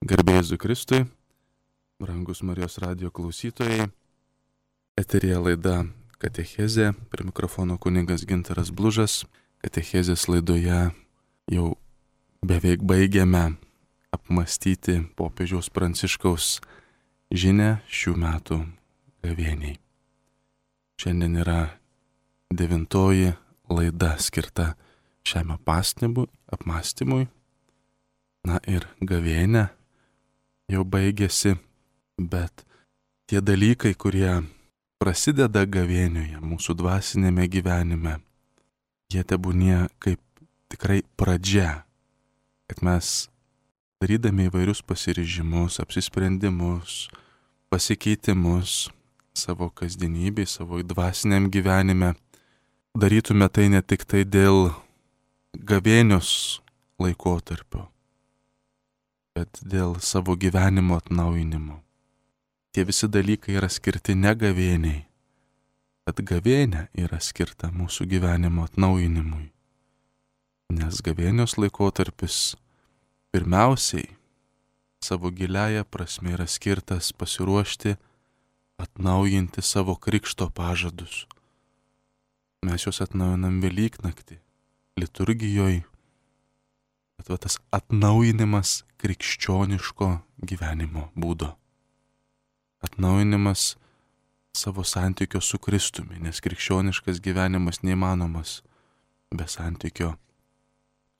Garbė Jėzui Kristui, brangus Marijos radijo klausytojai, eterija laida Katechezė, prie mikrofono kunigas Gintaras Blužas. Katechezės laidoje jau beveik baigiame apmąstyti popiežiaus Pranciškaus žinią šių metų gavėniai. Šiandien yra 9 laida skirta šiam apmąstymui. Na ir gavėnia jau baigėsi, bet tie dalykai, kurie prasideda gavėnioje, mūsų dvasinėme gyvenime, jie tebūnie kaip tikrai pradžia, kad mes darydami įvairius pasiryžimus, apsisprendimus, pasikeitimus savo kasdienybėje, savo dvasiniam gyvenime, darytume tai ne tik tai dėl gavėnios laikotarpio, bet dėl savo gyvenimo atnaujinimo. Tie visi dalykai yra skirti ne gavėniai, bet gavėnė yra skirta mūsų gyvenimo atnaujinimui. Nes gavėnios laikotarpis pirmiausiai savo giliaja prasme yra skirtas pasiruošti atnaujinti savo krikšto pažadus. Mes juos atnaujinam Velyknaktį, liturgijoje, bet tas atnaujinimas krikščioniško gyvenimo būdo. Atnaujinimas savo santykio su Kristumi, nes krikščioniškas gyvenimas neįmanomas be santykio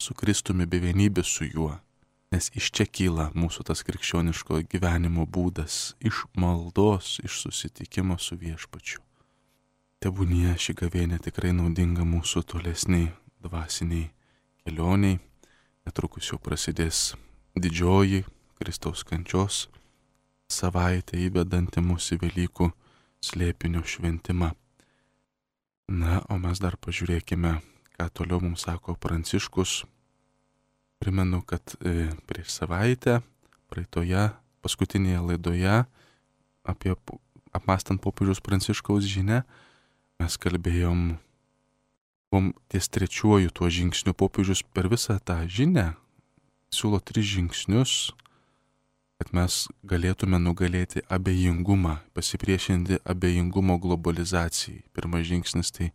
su Kristumi, be vienybės su juo. Nes iš čia kyla mūsų tas krikščioniško gyvenimo būdas, iš maldos, iš susitikimo su Viešpačiu. Tebūnie ši gavėnė tikrai naudinga mūsų tolesniai dvasiniai kelioniai. Netrukus jau prasidės didžioji Kristaus kančios savaitė įvedanti mūsų Velykų slėpinio šventimą. Na, o mes dar pažiūrėkime, ką toliau mums sako Pranciškus. Primenu, kad prieš savaitę, praeitoje, paskutinėje laidoje, apmąstant popiežiaus Pranciškaus žinią, mes kalbėjom ties 3 tuo žingsniu. Popiežius per visą tą žinią siūlo 3 žingsnius, kad mes galėtume nugalėti abejingumą, pasipriešinti abejingumo globalizacijai. Pirmas žingsnis tai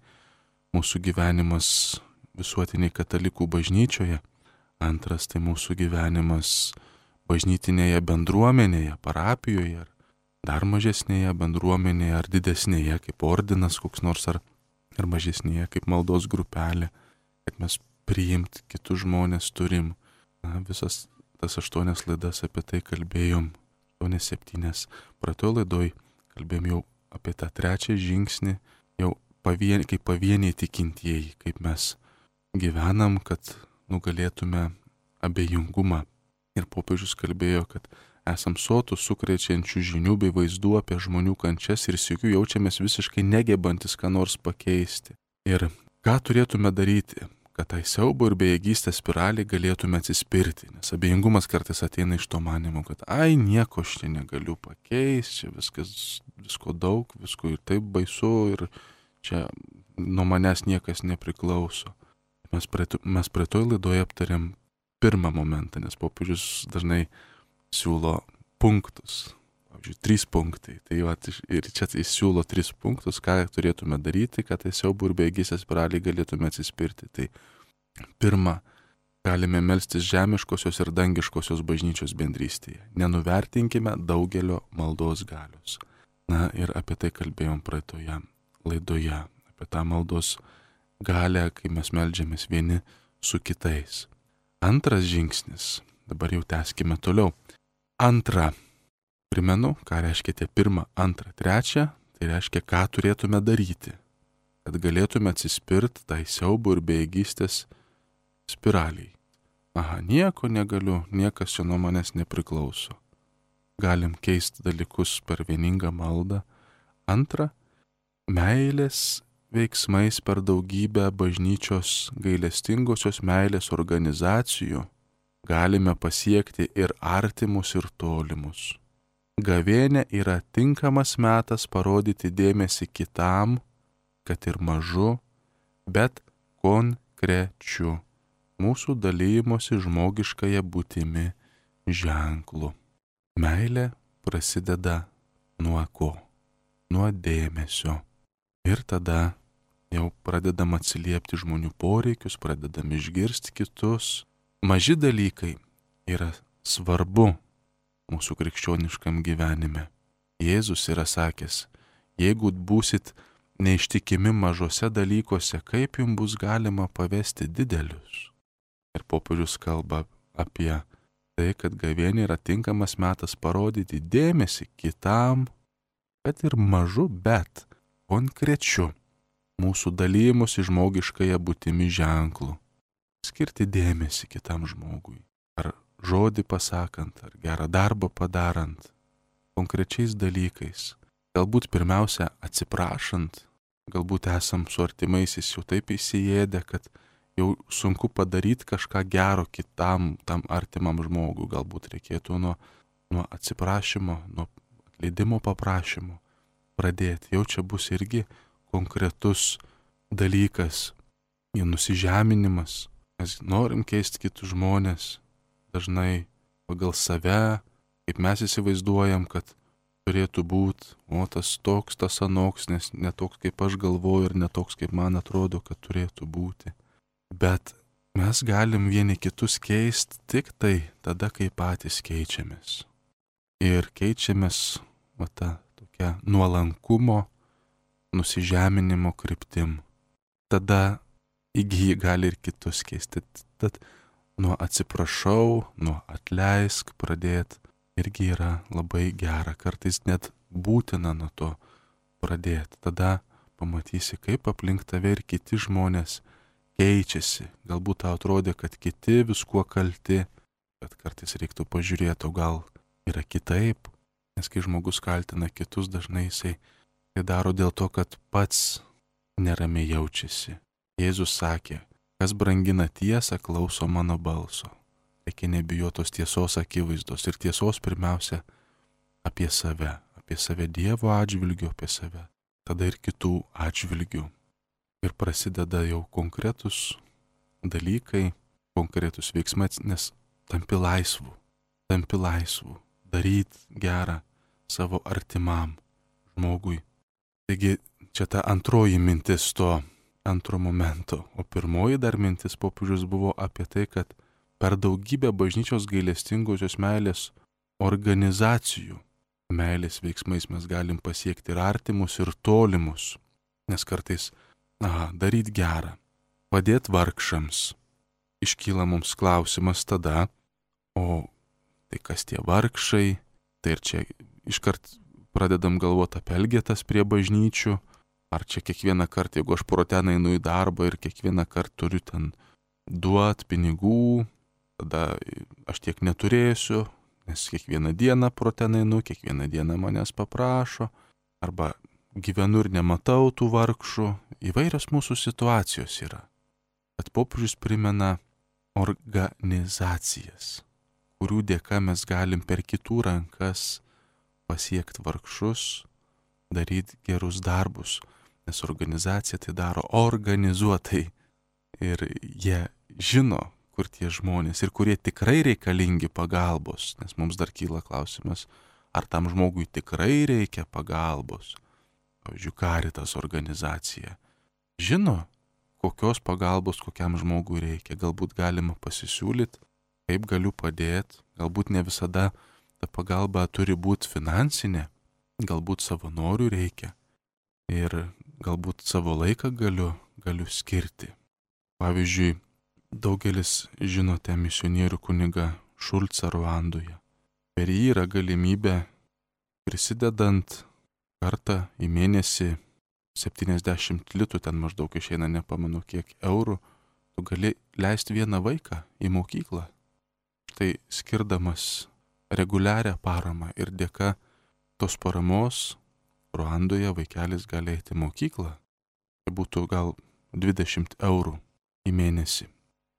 mūsų gyvenimas visuotiniai katalikų bažnyčioje. Antras tai mūsų gyvenimas bažnytinėje bendruomenėje, parapijoje, ar dar mažesnėje bendruomenėje, ar didesnėje kaip ordinas koks nors, ar mažesnėje kaip maldos grupelė, kad mes priimti kitus žmonės turim. Na, visas tas 8 laidas apie tai kalbėjom, 8-7. Praeitoj laidoj kalbėjom jau apie tą 3 žingsnį, jau kaip pavieniai tikintieji, kaip mes gyvenam, kad nugalėtume abejingumą. Ir popiežius kalbėjo, kad esam sotus sukrečiančių žinių bei vaizdų apie žmonių kančias ir sykiu jaučiamės visiškai negebantis ką nors pakeisti. Ir ką turėtume daryti, kad tai siaubo ir bejėgystės spiraliai galėtume atsispirti, nes abejingumas kartais ateina iš to manimo, kad nieko aš čia negaliu pakeisti, čia visko daug, visko ir taip baisu ir čia nuo manęs niekas nepriklauso. Mes praeitoj laidoje aptarėm pirmą momentą, nes popiežius dažnai siūlo punktus. Pavyzdžiui, 3 punktai. Tai ir čia jis siūlo 3 punktus, ką turėtume daryti, kad tai siaubų ir bejėgystės spiraliai galėtume atsispirti. Tai pirma, galime melstis žemiškosios ir dangiškosios bažnyčios bendrystėje. Nenuvertinkime daugelio maldos galios. Na ir apie tai kalbėjom praeitoje laidoje, apie tą maldos galę, kai mes meldžiamės vieni su kitais. Antras žingsnis, dabar jau tęskime toliau. Antra, primenu, ką reiškia tie 1, 2, 3, tai reiškia, ką turėtume daryti, kad galėtume atsispirti tai siaubo ir bejėgystės spiraliai. Nieko negaliu, niekas čia nuo manęs nepriklauso. Galim keisti dalykus per vieningą maldą. Antra, meilės veiksmais per daugybę bažnyčios gailestingosios meilės organizacijų galime pasiekti ir artimus, ir tolimus. Gavėnė yra tinkamas metas parodyti dėmesį kitam, kad ir mažu, bet konkrečiu mūsų dalymosi žmogiškąją būtimi ženklu. Meilė prasideda nuo ko? Nuo dėmesio. Ir tada jau pradedam atsiliepti žmonių poreikius, pradedam išgirsti kitus. Maži dalykai yra svarbu mūsų krikščioniškam gyvenime. Jėzus yra sakęs, jeigu būsit neištikimi mažose dalykuose, kaip jums bus galima pavesti didelius? Ir popiežius kalba apie tai, kad gavėnia yra tinkamas metas parodyti dėmesį kitam, kad ir mažu, bet konkrečiu mūsų dalymusi žmogiškąją būtimi ženklu. Skirti dėmesį kitam žmogui. Ar žodį pasakant, ar gerą darbą padarant, konkrečiais dalykais. Galbūt pirmiausia atsiprašant, galbūt esam su artimaisiais jau taip įsiėdę, kad jau sunku padaryti kažką gero kitam, tam artimam žmogui. Galbūt reikėtų nuo atsiprašymo, nuo atleidimo paprašymo pradėti. Jau čia bus irgi konkretus dalykas, nusižeminimas. Mes norim keisti kitus žmonės, dažnai pagal save, kaip mes įsivaizduojam, kad turėtų būti, o tas toks, tas anoks, nes ne toks, kaip aš galvoju ir ne toks, kaip man atrodo, kad turėtų būti. Bet mes galim vieni kitus keisti tik tai tada, kai patys keičiamės. Ir keičiamės ta tokia nuolankumo, nusižeminimo kryptim. Tada įgyji gali ir kitus keisti. Tad nuo atsiprašau, nuo atleisk pradėti irgi yra labai gera. Kartais net būtina nuo to pradėti. Tada pamatysi, kaip aplink tave ir kiti žmonės keičiasi. Galbūt tau atrodė, kad kiti viskuo kalti, bet kartais reiktų pažiūrėti, o gal yra kitaip. Nes kai žmogus kaltina kitus, dažnai jisai tai daro dėl to, kad pats neramiai jaučiasi. Jėzus sakė, kas brangina tiesą, klauso mano balso. Reikia nebijotos tiesos akivaizdos ir tiesos pirmiausia apie save Dievo atžvilgiu, apie save, tada ir kitų atžvilgių. Ir prasideda jau konkretus dalykai, konkretus veiksmai, nes tampi laisvu, daryti gerą savo artimam žmogui. Taigi čia ta antroji mintis to antro momento, o pirmoji dar mintis popiežius buvo apie tai, kad per daugybę bažnyčios gailestingosios meilės organizacijų meilės veiksmais mes galim pasiekti ir artimus, ir tolimus, nes kartais daryti gerą, padėti vargšams. Iškyla mums klausimas tada, o tai kas tie vargšai, tai ir čia iškart pradedam galvoti apie elgetas prie bažnyčių, ar čia kiekvieną kartą, jeigu aš proten einu į darbą ir kiekvieną kartą turiu ten duoti pinigų, tada aš tiek neturėsiu, nes kiekvieną dieną proten einu, kiekvieną dieną manęs paprašo, arba gyvenu ir nematau tų vargšų. Įvairios mūsų situacijos yra. Bet popiežius primena organizacijas, kurių dėka mes galim per kitų rankas pasiekti vargšus, daryti gerus darbus. Nes organizacija tai daro organizuotai ir jie žino, kur tie žmonės ir kurie tikrai reikalingi pagalbos, nes mums dar kyla klausimas, ar tam žmogui tikrai reikia pagalbos. Pavyzdžiui, Caritas organizacija žino, kokios pagalbos kokiam žmogui reikia. Galbūt galima pasisiūlyti, kaip galiu padėti, galbūt ne visada ta pagalba turi būti finansinė, galbūt savanorių reikia ir galbūt savo laiką galiu skirti. Pavyzdžiui, daugelis žinote misionierių kunigą Šulcą Ruandoje. Per jį yra galimybė prisidedant kartą į mėnesį 70 litų, ten maždaug išeina, nepamenu kiek eurų, tu gali leisti vieną vaiką į mokyklą. Štai skirdamas reguliarią paramą ir dėka tos paramos Ruandoje vaikelis gali eiti į mokyklą. Tai būtų gal 20 eurų į mėnesį.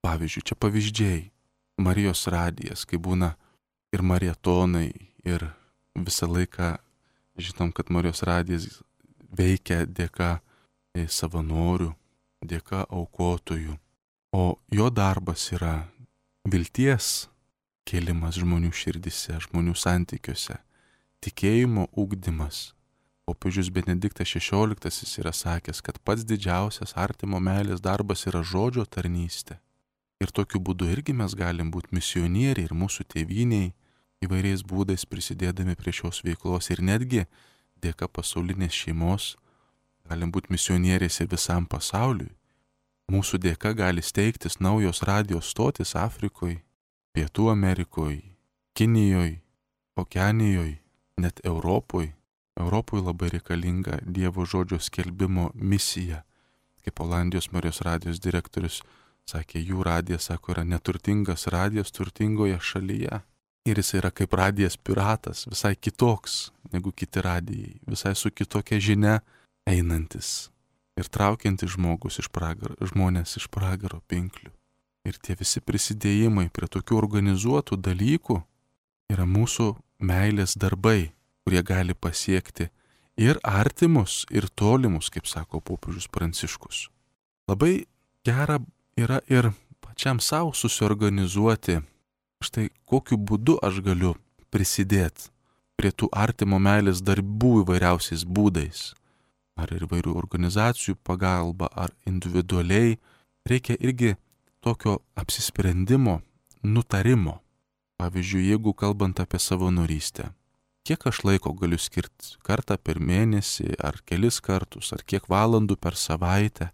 Pavyzdžiui, čia pavyzdžiai. Marijos radijas, kai būna ir marietonai, ir visą laiką žinom, kad Marijos radijas veikia dėka savanorių, dėka aukotojų. O jo darbas yra vilties kėlimas žmonių širdise, žmonių santykiuose, tikėjimo ugdymas. Popiežius Benediktas XVI yra sakęs, kad pats didžiausias artimo meilės darbas yra žodžio tarnystė. Ir tokiu būdu irgi mes galim būti misionieriai ir mūsų tėvyniai, įvairiais būdais prisidėdami prie šios veiklos ir netgi dėka pasaulinės šeimos galim būti misionieriais ir visam pasauliui. Mūsų dėka gali steigtis naujos radijos stotis Afrikoje, Pietų Amerikoje, Kinijoje, Okeanijoje, net Europoje. Europoje labai reikalinga Dievo žodžio skelbimo misija. Kaip Olandijos Marijos radijos direktorius sakė, jų radijas, sako, yra neturtingas radijas turtingoje šalyje. Ir jis yra kaip radijas piratas, visai kitoks negu kiti radijai, visai su kitokia žinia einantis ir traukiantis žmonės iš pragaro pinklių. Ir tie visi prisidėjimai prie tokių organizuotų dalykų yra mūsų meilės darbai, kurie gali pasiekti ir artimus, ir tolimus, kaip sako popiežius Pranciškus. Labai gera yra ir pačiam savo susiorganizuoti, štai kokiu būdu aš galiu prisidėti prie tų artimo meilės darbų įvairiausiais būdais. Ar įvairių organizacijų pagalba, ar individualiai. Reikia irgi tokio apsisprendimo, nutarimo. Pavyzdžiui, jeigu kalbant apie savanorystę, kiek aš laiko galiu skirti, kartą per mėnesį, ar kelis kartus, ar kiek valandų per savaitę,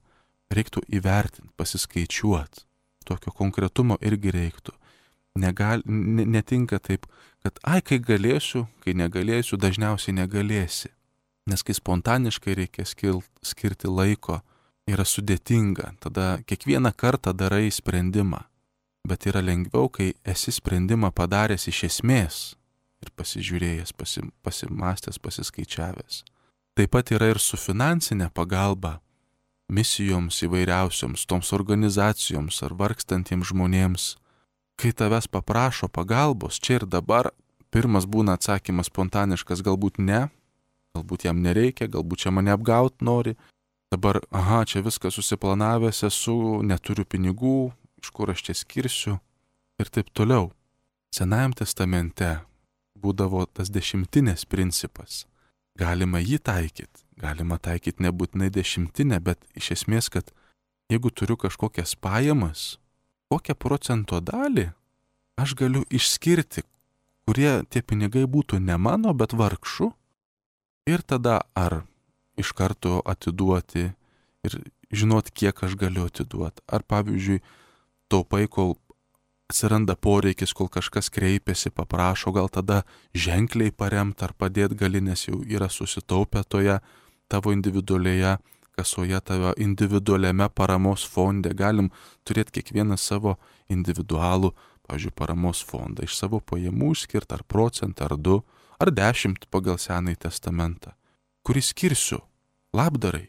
reiktų įvertinti, pasiskaičiuoti. Tokio konkretumo irgi reiktų. Netinka taip, kad kai galėsiu, kai negalėsiu, dažniausiai negalėsi. Nes kai spontaniškai reikia skirti laiko, yra sudėtinga, tada kiekvieną kartą darai sprendimą. Bet yra lengviau, kai esi sprendimą padaręs iš esmės ir pasižiūrėjęs, pasimastęs, pasiskaičiavęs. Taip pat yra ir su finansinė pagalba misijoms įvairiausioms, toms organizacijoms ar vargstantiems žmonėms. Kai tavęs paprašo pagalbos čia ir dabar, pirmas būna atsakymas spontaniškas, galbūt ne, galbūt jam nereikia, galbūt čia mane apgaut nori. Dabar, čia viską susiplanavęs esu, neturiu pinigų, iš kur aš čia skirsiu ir taip toliau. Senajam testamente būdavo tas 10 principas. Galima jį taikyti, galima taikyti nebūtinai 10, bet iš esmės, kad jeigu turiu kažkokias pajamas, kokią procento dalį aš galiu išskirti, kurie tie pinigai būtų ne mano, bet vargšų. Ir tada ar iš karto atiduoti ir žinot, kiek aš galiu atiduoti. Ar pavyzdžiui, taupai, kol atsiranda poreikis, kol kažkas kreipiasi, paprašo, gal tada ženkliai paremti ar padėti gali, nes jau yra susitaupę toje tavo individualioje kasoje, tavo individualiame paramos fonde. Galim turėti kiekvieną savo individualų, pavyzdžiui, paramos fondą, iš savo pajamų išskirti ar procentą, ar 2, ar 10 pagal Senąjį testamentą, kurį skirsiu labdarai,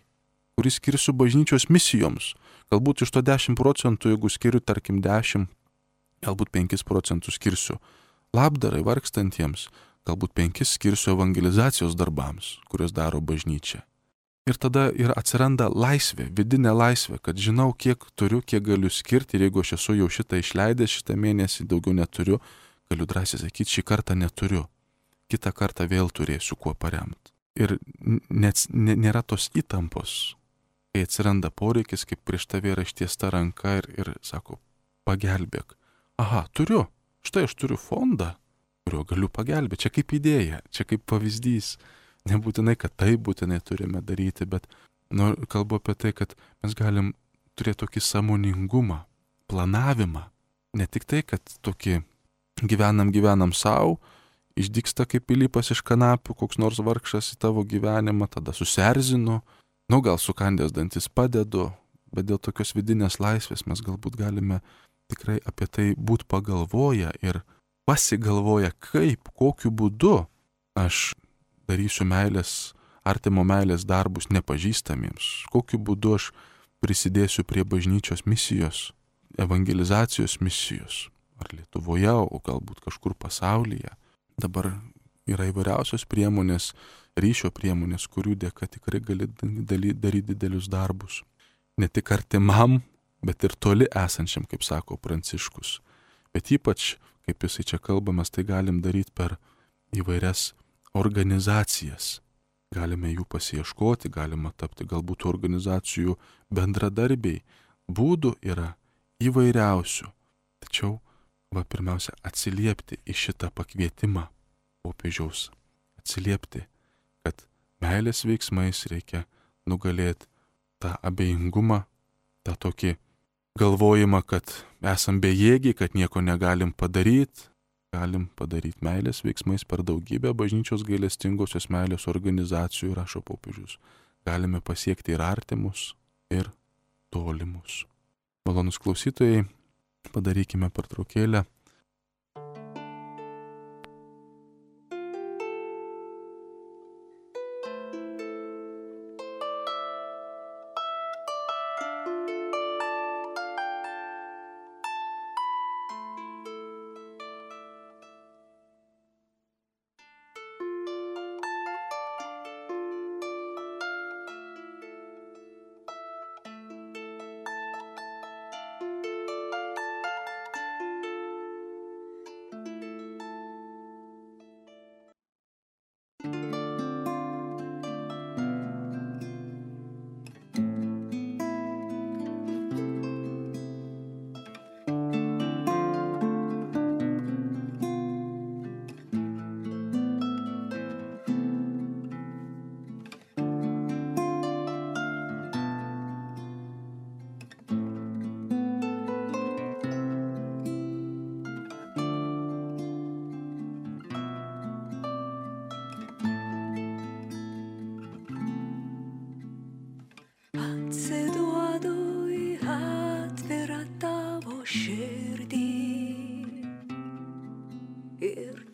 kurį skirsiu bažnyčios misijoms. Galbūt iš to 10%, jeigu skiriu, tarkim, 10, galbūt 5% skirsiu labdarai vargstantiems, galbūt 5 skirsiu evangelizacijos darbams, kurios daro bažnyčia. Ir tada ir atsiranda laisvė, vidinė laisvė, kad žinau, kiek turiu, kiek galiu skirti, ir jeigu aš esu jau šitą išleidęs, šitą mėnesį daugiau neturiu, galiu drąsiai sakyti, šį kartą neturiu, kitą kartą vėl turėsiu kuo paremti. Ir nėra tos įtampos, kai atsiranda poreikis, kaip prieš tave yra ištiesta ranka ir sako, pagelbėk. Turiu, štai aš turiu fondą, kuriuo galiu pagelbėti, čia kaip idėja, čia kaip pavyzdys. Nebūtinai, kad tai būtinai turime daryti, bet kalbu apie tai, kad mes galim turėti tokį sąmoningumą, planavimą. Ne tik tai, kad tokį gyvenam savo, išdygsta kaip pilypas iš kanapių, koks nors vargšas į tavo gyvenimą, tada susierzinu, gal sukandęs dantis padedu, bet dėl tokios vidinės laisvės mes galbūt galime tikrai apie tai būti pagalvoję ir pasigalvoję, kaip, kokiu būdu aš darysiu artimo meilės darbus nepažįstamiems, kokiu būdu aš prisidėsiu prie bažnyčios misijos, evangelizacijos misijos, ar Lietuvoje, o galbūt kažkur pasaulyje. Dabar yra įvairiausios priemonės, ryšio priemonės, kurių dėka tikrai gali daryti didelius darbus. Ne tik artimam, bet ir toli esančiam, kaip sako Pranciškus. Bet ypač, kaip jisai čia kalba, mes tai galim daryti per įvairias organizacijas. Galime jų pasiieškoti, galima tapti galbūt organizacijų bendradarbiai. Būdų yra įvairiausių. Tačiau, pirmiausia, atsiliepti į šitą pakvietimą popiežiaus. Atsiliepti, kad meilės veiksmais reikia nugalėti tą abejingumą, tą tokį galvojimą, kad esam bejėgiai, kad nieko negalim padaryti. Galim padaryti meilės veiksmais per daugybę bažnyčios gailestingosios meilės organizacijų, rašo popiežius. Galime pasiekti ir artimus, ir tolimus. Malonus klausytojai, padarykime pertraukėlę.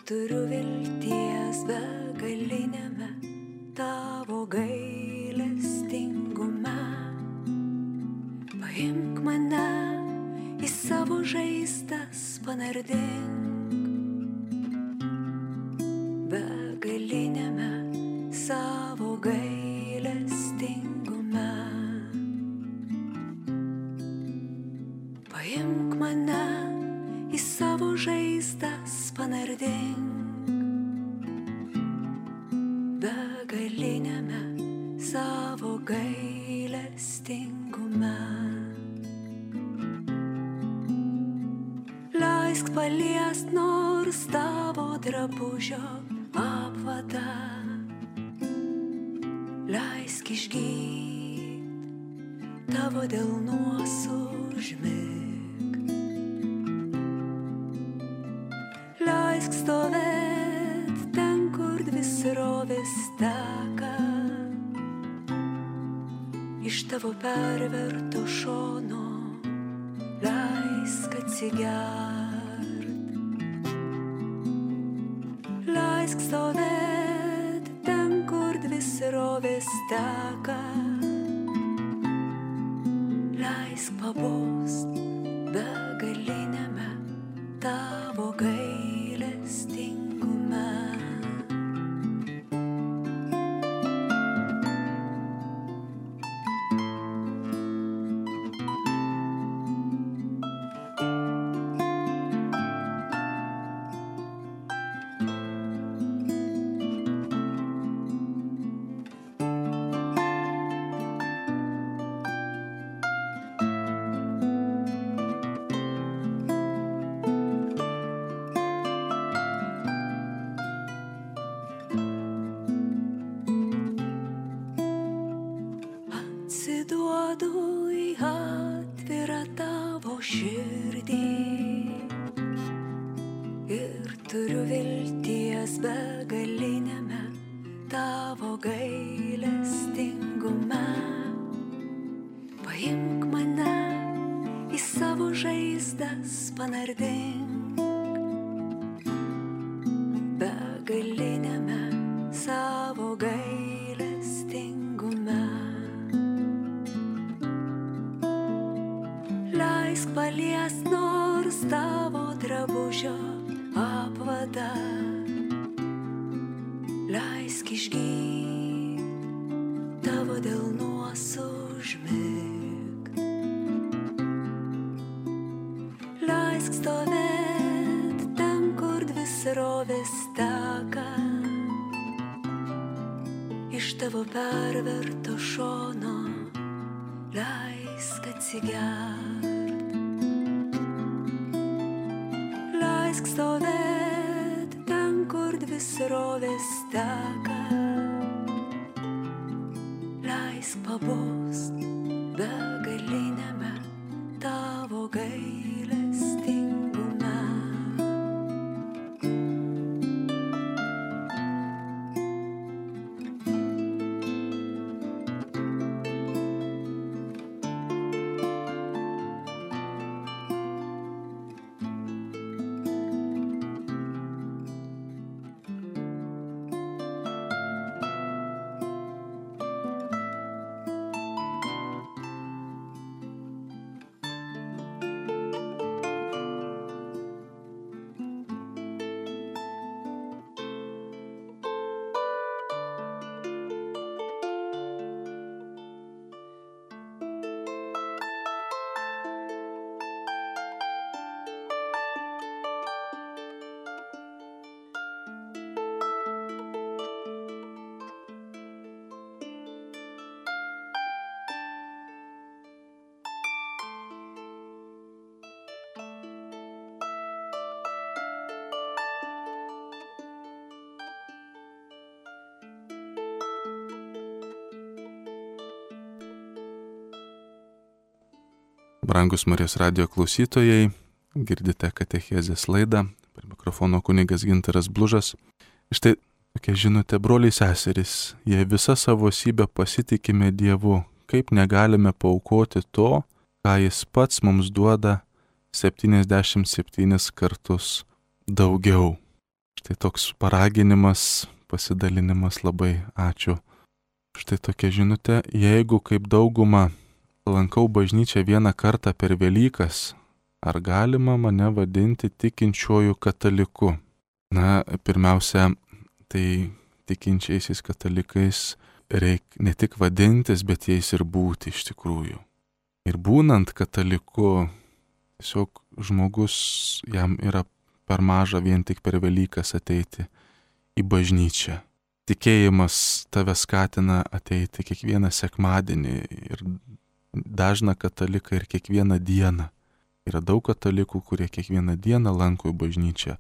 Turiu vilties begaliniame tavo gailestingume. Paimk mane į savo žaizdas, panardink begaliniame savo gailestingume. Paimk mane į savo žaizdas, panardink begaliniame savo gailestingume. Leisk paliest nors tavo drabužio apvadą, leisk išgyt tavo delnuos užmigt. Leisk stovėt ten, kur dvi srovės teka, iš tavo perverto šono leisk atsigert. Leisk stovėt ten, kur dvi srovės teka, leisk pabust begaliniame tavo gailestingume. Atsiduodu į atvirą tavo širdį ir turiu vilties begaliniame tavo gailestingume. Paimk mane į savo žaizdas, panardink begaliniame savo gailestingume. Leisk paliest nors tavo drabužio apvadą, leisk išgyt tavo delnuos užmigt. Leisk stovėt ten, srovės teka iš tavo perverto šono, leisk atsigert, leisk stovėt ten, kur dvi srovės teka, leisk pabust begaliniame tavo gailestingume. Brangus Marijos radijo klausytojai, girdite katechezės laidą, prie mikrofono kunigas Gintaras Blužas. Štai tokia žinutė, broliai seserys, jei visą savo esybę pasitikime Dievu, kaip negalime paaukoti to, ką Jis pats mums duoda 77 kartus daugiau. Štai toks paraginimas, pasidalinimas, labai ačiū. Štai tokia žinutė, jeigu kaip dauguma lankau bažnyčią vieną kartą per Velykas, ar galima mane vadinti tikinčiuoju kataliku? Na, pirmiausia, tai tikinčiaisiais katalikais reikia ne tik vadintis, bet jais ir būti iš tikrųjų. Ir būnant kataliku, tiesiog žmogus, jam yra per maža vien tik per Velykas ateiti į bažnyčią. Tikėjimas tave skatina ateiti kiekvieną sekmadienį ir dažną kataliką ir kiekvieną dieną. Yra daug katalikų, kurie kiekvieną dieną lanko bažnyčią,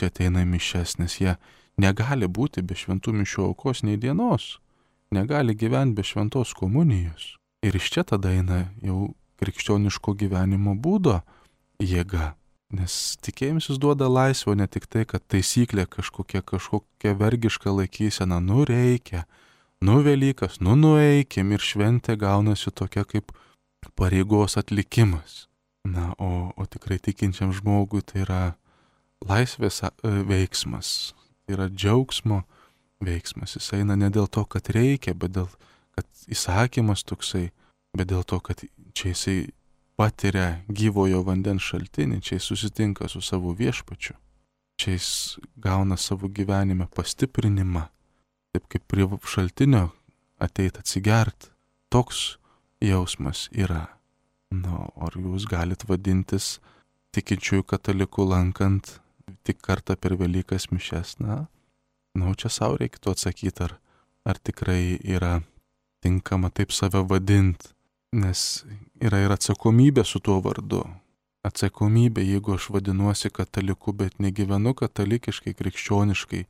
ateina į mišias, nes jie negali būti be šventų mišių aukos nei dienos, negali gyventi be šventos komunijos. Ir iš čia tada eina jau krikščioniško gyvenimo būdo jėga, nes tikėjimas duoda laisvę, ne tik tai, kad taisyklė kažkokia vergiška laikysena, reikia, Velykas, nueikim ir šventė gaunasi tokia kaip pareigos atlikimas. Na, o tikrai tikinčiam žmogui tai yra laisvės veiksmas, tai yra džiaugsmo veiksmas. Jis eina ne dėl to, kad reikia, bet dėl, kad įsakymas toksai, bet dėl to, kad čia jisai patiria gyvojo vandens šaltinį, čia jis susitinka su savo viešpačiu, čia jis gauna savo gyvenime pastiprinimą. Taip kaip prie šaltinio ateit atsigert, toks jausmas yra. Na, ar jūs galit vadintis tikinčiųjų katalikų lankant tik kartą per Velykas mišias? Na, čia savo reikėtų atsakyti, ar tikrai yra tinkama taip save vadinti, nes yra ir atsakomybė su tuo vardu. Atsakomybė, jeigu aš vadinuosi kataliku, bet negyvenu katalikiškai, krikščioniškai,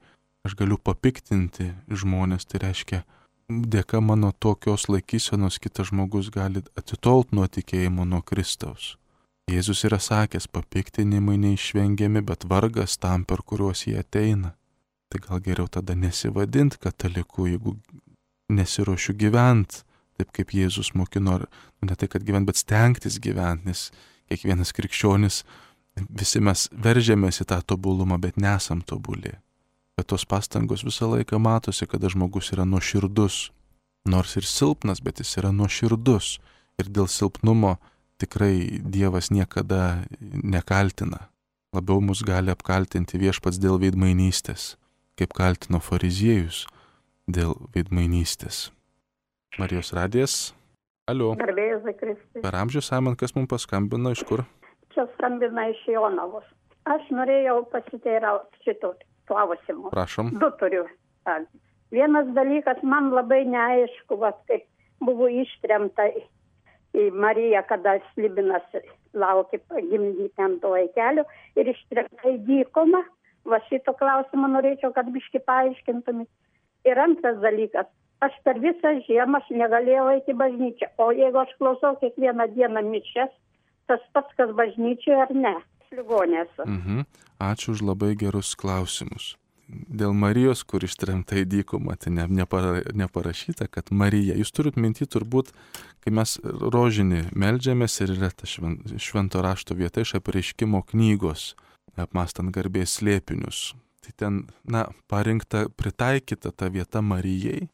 aš galiu papiktinti žmonės, tai reiškia, dėka mano tokios laikysenos kitas žmogus gali atitolt nuo tikėjimo, nuo Kristaus. Jėzus yra sakęs, papiktinimai neišvengiami, bet vargas tam, per kuriuos jie ateina. Tai gal geriau tada nesivadint kataliku, jeigu nesiruošiu gyventi, taip kaip Jėzus mokino, ne tai, kad gyventi, bet stengtis gyventi, nes kiekvienas krikščionis, visi mes veržėmės į tą tobulumą, bet nesam tobuli. Bet tos pastangos visą laiką matosi, kada žmogus yra nuoširdus. Nors ir silpnas, bet jis yra nuoširdus. Ir dėl silpnumo tikrai Dievas niekada nekaltina. Labiau mus gali apkaltinti Viešpats dėl veidmainystės, kaip kaltino fariziejus dėl veidmainystės. Marijos radijas. Alio. Garbėzai Kristui. Per amžių, Simon, kas mums paskambino, iš kur? Čia skambina iš Jonavos. Aš norėjau pasiteirauti šito klausimu. Prašom. 2 turiu. Vienas dalykas, man labai neaišku, kaip buvo ištremta į Mariją, kada Slibinas laukė pagimdyti ant to vaikelio ir ištremta į dykumą. Va šito klausimą norėčiau, kad biški paaiškintumėt. Ir antras dalykas, aš per visą žiemą aš negalėjau eiti į bažnyčią. O jeigu aš klausau kiekvieną dieną mišias, tas pats, kas bažnyčioje ar ne? Ligonėse. Ačiū už labai gerus klausimus. Dėl Marijos, kur ištremta į dykumą, tai neparašyta, kad Marija. Jūs turit minty turbūt, kai mes rožinį meldžiamės ir yra ta švento rašto vieta iš apreiškimo knygos, apmąstant garbės slėpinius. Tai ten, parinkta, pritaikyta ta vieta Marijai,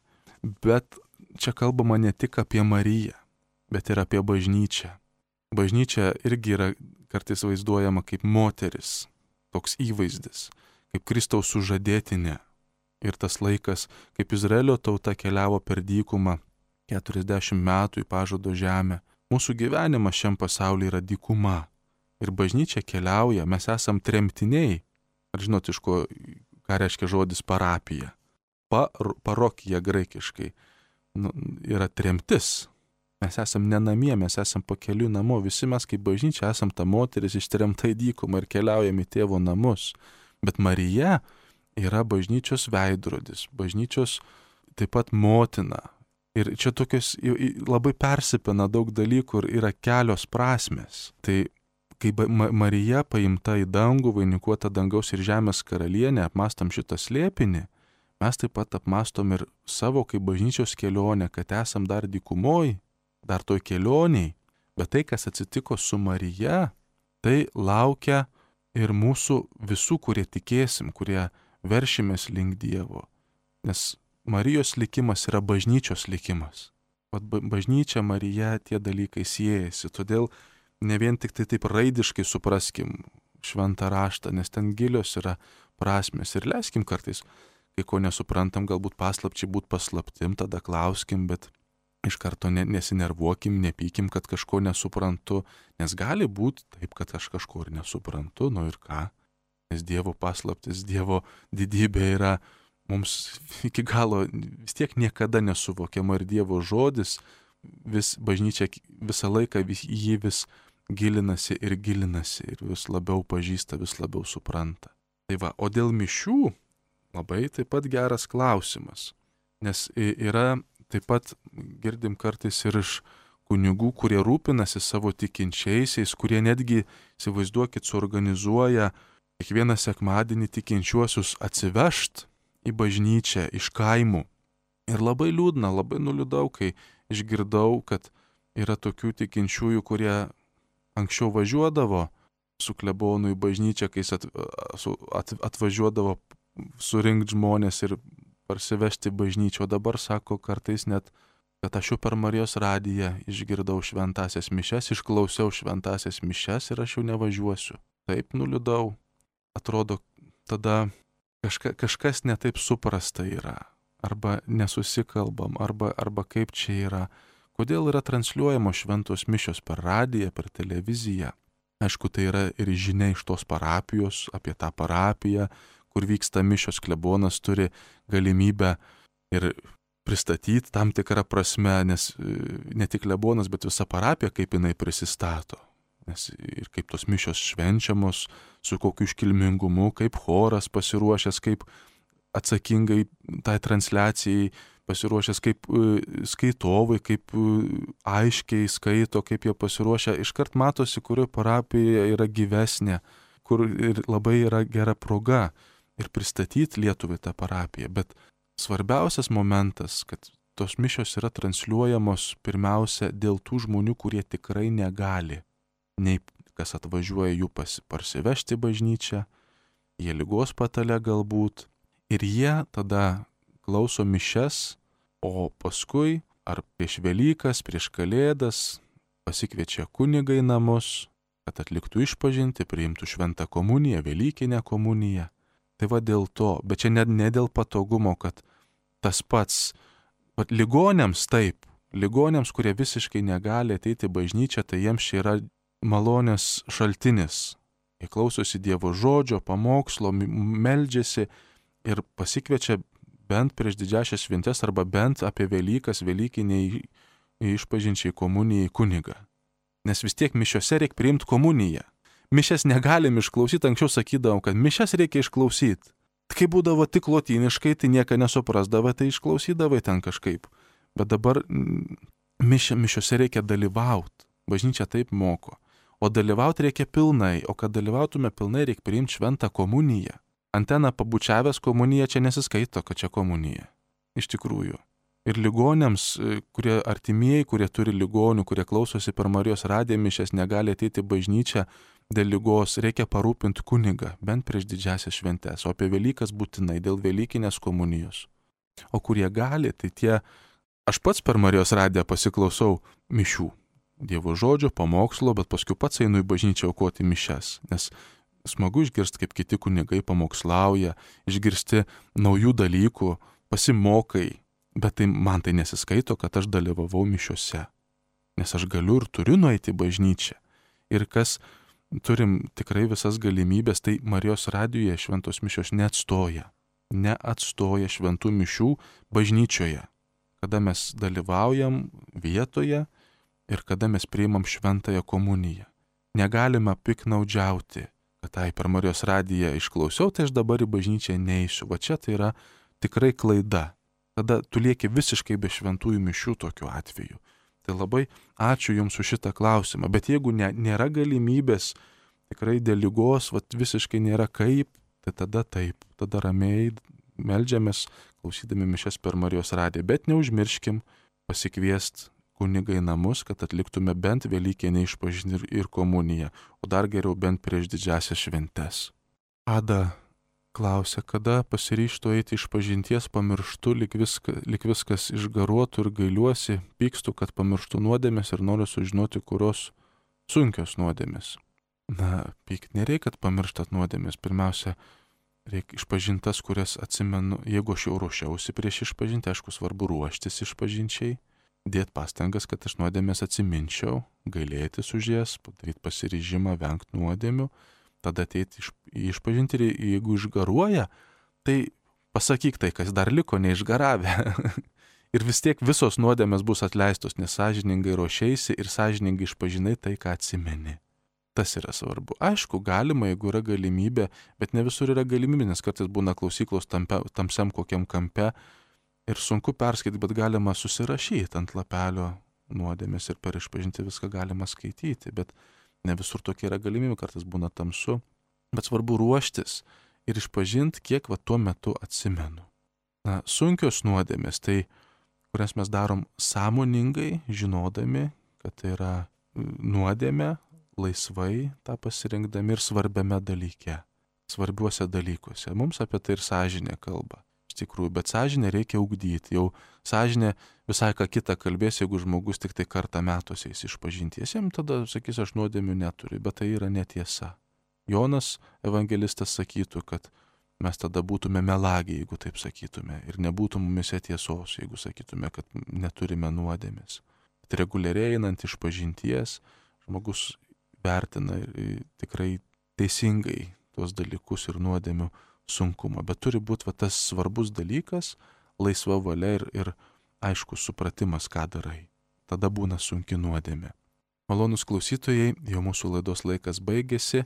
bet čia kalbama ne tik apie Mariją, bet ir apie bažnyčią. Bažnyčia irgi yra kartais vaizduojama kaip moteris, toks įvaizdis, kaip Kristaus sužadėtinė. Ir tas laikas, kaip Izraelio tauta keliavo per dykumą 40 metų į pažado žemę. Mūsų gyvenimas šiam pasaulyje yra dykuma. Ir bažnyčia keliauja, mes esam tremtiniai. Ar žinot, iš ko, ką reiškia žodis parapija? Parokija graikiškai yra tremtis. Mes esam nenamie, mes esam pakeliui namo. Visi mes kaip bažnyčia esam ta moteris ištremta į dykumą ir keliaujam į tėvo namus. Bet Marija yra bažnyčios veidrodis, bažnyčios taip pat motina. Ir čia tokios labai persipina daug dalykų ir yra kelios prasmės. Tai kai Marija paimta į dangų, vainikuota dangaus ir žemės karalienė, apmąstam šitą slėpinį, mes taip pat apmąstom ir savo kaip bažnyčios kelionę, kad esam dar dykumoj, dar toj kelioniai. Bet tai, kas atsitiko su Marija, tai laukia ir mūsų visų, kurie tikėsim, kurie veršimės link Dievo. Nes Marijos likimas yra bažnyčios likimas. Bažnyčia, Marija, tie dalykai siejasi. Todėl ne vien tik tai taip raidiškai supraskim šventą raštą, nes ten gilios yra prasmės. Ir leiskim kartais, kai ko nesuprantam, galbūt paslapčiai būt paslaptim, tada klauskim, bet iš karto nesinervuokim, nepykim, kad kažko nesuprantu, nes gali būti taip, kad aš kažko ir nesuprantu, ir ką. Nes Dievo paslaptis, Dievo didybė yra mums iki galo vis tiek niekada nesuvokiama ir Dievo žodis, bažnyčia visą laiką jį vis gilinasi ir vis labiau pažįsta, vis labiau supranta. Tai va, o dėl mišių labai taip pat geras klausimas, nes yra taip pat girdim kartais ir iš kunigų, kurie rūpinasi savo tikinčiaisiais, kurie netgi, įsivaizduokit, suorganizuoja kiekvieną sekmadienį tikinčiuosius atsivežt į bažnyčią iš kaimų. Ir labai liūdna, labai nuliūdau, kai išgirdau, kad yra tokių tikinčiųjų, kurie anksčiau važiuodavo su klebonu į bažnyčią, kai jis atvažiuodavo surinkti žmonės ir parsivežti bažnyčią, o dabar sako kartais net, kad aš jau per Marijos radiją išgirdau šventasias mišias, išklausiau šventasias mišias ir aš jau nevažiuosiu. Taip nuliūdau. Atrodo, tada kažkas netaip suprasta yra, arba nesusikalbam, arba kaip čia yra. Kodėl yra transliuojamos šventos mišios per radiją, per televiziją? Aišku, tai yra ir žinia iš tos parapijos, apie tą parapiją, kur vyksta mišios, klebonas turi galimybę ir pristatyti tam tikrą prasme, nes ne tik klebonas, bet visa parapija, kaip jinai prisistato. Nes ir kaip tos mišios švenčiamos, su kokiu iškilmingumu, kaip choras pasiruošęs, kaip atsakingai tai transliacijai pasiruošęs, kaip skaitovai, kaip aiškiai skaito, kaip jie pasiruošę. Iškart matosi, kurioje parapijoje yra gyvesnė, kur ir labai yra gera proga ir pristatyti Lietuvai tą parapiją. Bet svarbiausias momentas, kad tos mišios yra transliuojamos pirmiausia dėl tų žmonių, kurie tikrai negali. Nei kas atvažiuoja jų parsivežti bažnyčią, jie ligos patale galbūt. Ir jie tada klauso mišias, o paskui ar prieš Velykas, prieš Kalėdas pasikviečia kunigą į namus, kad atliktų išpažintį, priimtų šventą komuniją, Velykinę komuniją. Tai va dėl to, bet čia ne dėl patogumo, kad tas pats, ligoniams taip, ligoniams, kurie visiškai negali ateiti į bažnyčią, tai jiems čia yra malonės šaltinis. Jie klausosi Dievo žodžio, pamokslo, meldžiasi ir pasikviečia bent prieš didžiąsias šventes arba bent apie Velykas, Velykiniai išpažinčiai komunijai kunigą. Nes vis tiek mišiose reikia priimti komuniją. Mišes negalim išklausyti, anksčiau sakydavom, kad mišes reikia išklausyti. Kai būdavo tik lotyniškai, tai nieko nesuprasdavo, tai išklausydavai ten kažkaip. Bet dabar mišiose reikia dalyvauti. Bažnyčia taip moko. O dalyvauti reikia pilnai, o kad dalyvautume pilnai, reikia priimti šventą komuniją. Anteną pabučiavęs komuniją čia nesiskaito, kad čia komunija. Iš tikrųjų. Ir ligonėms, kurie artimieji, kurie turi ligonių, kurie klausosi per Marijos radiją mišias, negali ateiti į bažnyčią dėl ligos, reikia parūpinti kunigą, bent prieš didžiąsias šventes, o apie Velykas būtinai dėl Velykinės komunijos. O kurie gali, tai tie, aš pats per Marijos radiją pasiklausau mišių, Dievo žodžio, pamokslo, bet paskui pats einu į bažnyčią aukoti mišias, nes smagu išgirsti, kaip kiti kunigai pamokslauja, išgirsti naujų dalykų, pasimokai, bet man tai nesiskaito, kad aš dalyvavau mišiuose, nes aš galiu ir turiu nueiti į bažnyčią. Ir kas turim tikrai visas galimybės, tai Marijos radijoje šventos mišios neatstoja šventų mišių bažnyčioje, kada mes dalyvaujam vietoje ir kada mes priimam šventąją komuniją. Negalime piknaudžiauti, kad per Marijos radiją išklausiau, tai aš dabar į bažnyčią neisiu. Va čia tai yra tikrai klaida. Tada tu lieki visiškai be šventųjų mišių tokiu atveju. Tai labai ačiū Jums už šitą klausimą. Bet jeigu nėra galimybės, tikrai dėl ligos, visiškai nėra kaip, tai tada taip. Tada ramiai meldžiamės, klausydami mišias per Marijos radiją. Bet neužmirškim pasikviesti kunigą į namus, kad atliktume bent Velykinę išpažintį ir komuniją, o dar geriau bent prieš didžiąsias šventes. Ada klausia, kada pasiryžtu eiti išpažinties, pamirštu, lyg viskas išgaruotų ir gailiuosi, pykstu, kad pamirštu nuodėmės ir noriu sužinoti, kurios sunkios nuodėmės. Pykt nereikia, kad pamirštat nuodėmės. Pirmiausia, reikia išpažintas, kurias atsimenu, jeigu aš jau ruošiausi prieš išpažinti, aišku, svarbu ruoštis išpažinčiai, dėti pastangas, kad aš nuodėmės atsiminčiau, gailėtis už jas, padaryti pasiryžimą vengti nuodėmių, tada ateiti išpažinti ir jeigu išgaruoja, tai pasakyk tai, kas dar liko neišgaravę. Ir vis tiek visos nuodėmės bus atleistos, nes sąžiningai ruošeisi ir sąžiningai išpažinai tai, ką atsimeni. Tas yra svarbu. Aišku, galima, jeigu yra galimybė, bet ne visur yra galimybė, nes kartais būna klausyklos tamsiam kokiam kampe ir sunku perskaityti, bet galima susirašyti ant lapelio nuodėmės ir per išpažinti viską galima skaityti, bet ne visur tokia yra galimybė, kartais būna tamsu, bet svarbu ruoštis ir išpažinti, kiek tuo metu atsimenu. Sunkios nuodėmės, tai kurias mes darom sąmoningai, žinodami, kad tai yra nuodėmė, laisvai tą pasirinkdami ir svarbiame dalyke, svarbiuose dalykuose. Mums apie tai ir sąžinė kalba. Iš tikrųjų, bet sąžinę reikia ugdyti. Jau sąžinė visai ką kitą kalbės, jeigu žmogus tik tai kartą metuose eis išpažinties. Jam tada sakys, aš nuodėmių neturiu, bet tai yra netiesa. Jonas evangelistas sakytų, kad mes tada būtume melagiai, jeigu taip sakytume, ir nebūtų mumise tiesos, jeigu sakytume, kad neturime nuodėmės. Bet reguliariai einant išpažinties, žmogus vertina tikrai teisingai tuos dalykus ir nuodėmių sunkumą. Bet turi būti tas svarbus dalykas, laisva valia ir aiškus supratimas, ką darai. Tada būna sunki nuodėmė. Malonūs klausytojai, jau mūsų laidos laikas baigėsi,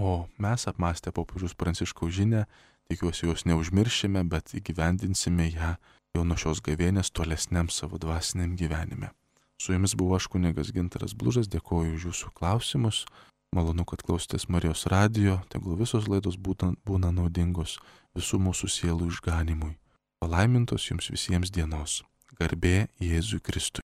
o mes apmąstę popiežiaus Pranciškaus žinią, tikiuosi jos neužmiršime, bet įgyvendinsime ją jau nuo šios gavėnės tolesniam savo dvasiniam gyvenime. Su jumis buvo aš kunigas Gintaras Blužas, dėkoju už jūsų klausimus. Malonu, kad klausotės Marijos radijo, tegul visos laidos būna naudingos visų mūsų sielų išganimui. Palaimintos jums visiems dienos. Garbė Jėzui Kristui.